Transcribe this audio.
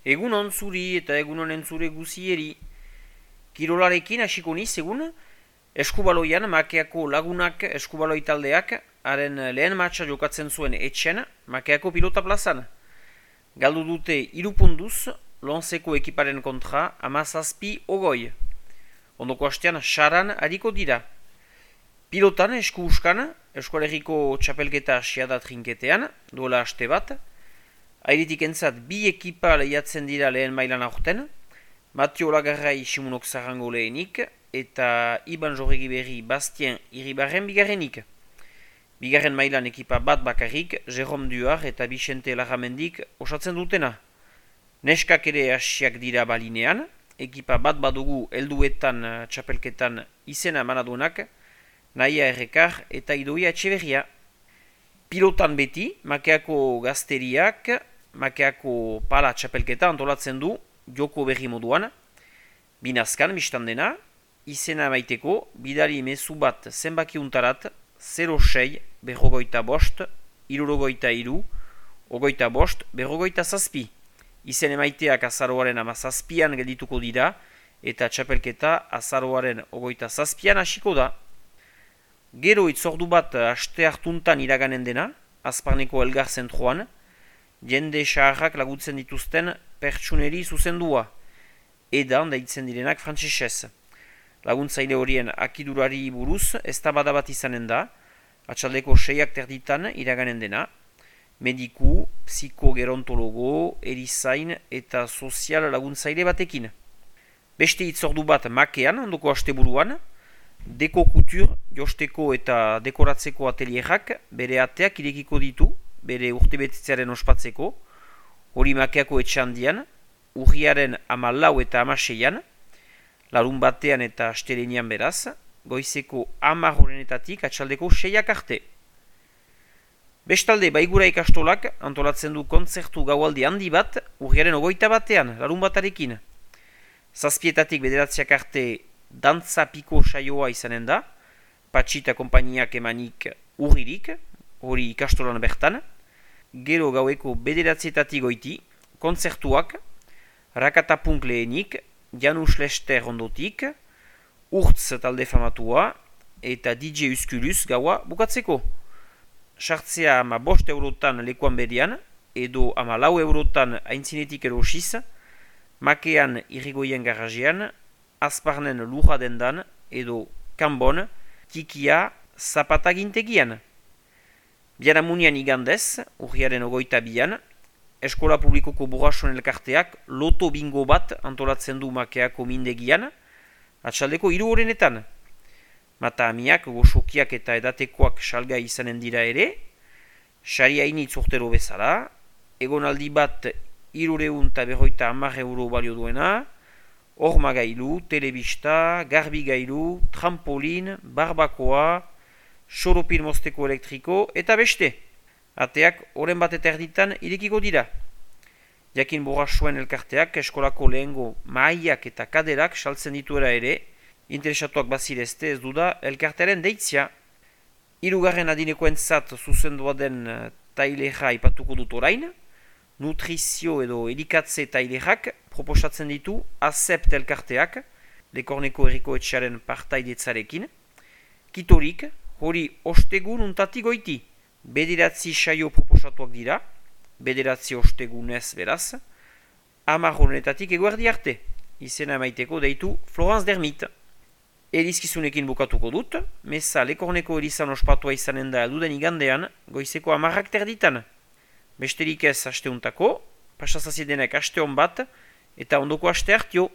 Egunon zuri eta egunon entzure guzieri. Kirolarekin hasiko niz egun, eskubaloian Makeako lagunak eskubaloi taldeak haren lehen matxa jokatzen zuen etxen Makeako pilota plazan. Galdu dute 3 puntuz, Lonseko ekiparen kontra 17-20. Ondoko hastean saran hariko dira. Pilotan esku uskan, Eskualerriko txapelketa asiada trinketean, duela haste bat. Airitik entzat 2 ekipa lehiatzen dira lehen mailan aurten, Matio Lagarrai Simunok Zarango lehenik, eta Iban Jorregi Berri Bastien Iribarren bigarrenik. Bigarren mailan ekipa bat bakarrik, Jerome Duar eta Vicente Larramendik osatzen dutena. Neskak ere hasiak dira balinean, ekipa bat badugu helduetan txapelketan izena manadunak, Naia Errekar eta Idoia Etxeberria. Pilotan beti, Makeako gazteriak, Makeako pala txapelketa antolatzen du joko berri moduan. Binazkan, biztan dena, izena maiteko, bidali mezu bat zenbakiuntarat 06 berrogoita bost, irurogoita iru, ogoita bost, berrogoita zazpi. Izen emaiteak azaroaren 17an geldituko dira, eta txapelketa azaroaren ogoita zazpian hasiko da. Gero itzordu bat aste hartuntan iraganen dena, Azparneko Elgar zentroan, jende saharrak lagutzen dituzten pertsuneri zuzendua, edan deitzen direnak frantsesez. Laguntzaile horien akidurari buruz eztabaida bat izanen da, atxaldeko 6ak terditan iraganen dena, mediku, psikogerontologo, erizain eta sozial laguntzaile batekin. Beste itzordu bat Makean, ondoko asteburuan, Deko Kutur, josteko eta dekoratzeko atelierak bere ateak irekiko ditu, bere urtebetitzearen ospatzeko, hori Makeako etxandian, urriaren 14 eta 16an, larun batean eta astelenian beraz, goizeko 10 horrenetatik atxaldeko 6ak arte. Bestalde, Baigura ikastolak antolatzen du kontzertu gaualdi handi bat, urriaren 21 larun batarekin. 7 bederatziak arte dantza piko saioa izanen da, Patxita konpainiak emanik urririk, hori ikastolan bertan. Gero gaueko 9 goiti, kontzertuak, Rakatapunk lehenik, Janus Lester ondotik, Urtz talde famatua, eta DJ Uskulus gaua bukatzeko. Sartzea 5 eurotan lekuan berian, edo 14 eurotan aintzinetik erosiz, Makean irrigoien garajean, Azparnen lurra dendan, edo Kanbon, Tikia zapatagintegian. Biaramunian igandez, urriaren 22an, Eskola Publikoko Burrason elkarteak loto bingo bat antolatzen du Makeako mindegian, atxaldeko 3 horrenetan. Mata amiak, goxokiak eta edatekoak salgai izanen dira ere, sari hainitz urtero bezala, egonaldi bat 350 euro balio duena, horma gailu, telebista, garbi gailu, trampolin, barbakoa, soropin mozteko elektriko eta beste. Ateak oren bat eta erditan irekiko dira. Jakin Borrasoen elkarteak eskolako lehengo mahaiak eta kaderak saltzen dituera ere, interesatuak bazirezte ez duda elkartearen deitzia. 3. adinekoentzat zuzendua den taileja ipatuko dut orain, nutrizio edo elikatze tailerak proposatzen ditu Azept elkarteak, Lekorneko herriko etxearen partaidetzarekin. Kitorik, hori ostegun untati goiti. 9 saio proposatuak dira, 9 ostegunez beraz, 10 honetatik eguerdi arte. Izena maiteko deitu Florence Dermit. Elizkizunekin bukatuko dut, meza Lekorneko erizan ospatua izanen da elduden igandean, goizeko 10ak terditan. Besterik ez asteuntako, pasazaziedenek aste hon bat, eta ondoko aste hartio.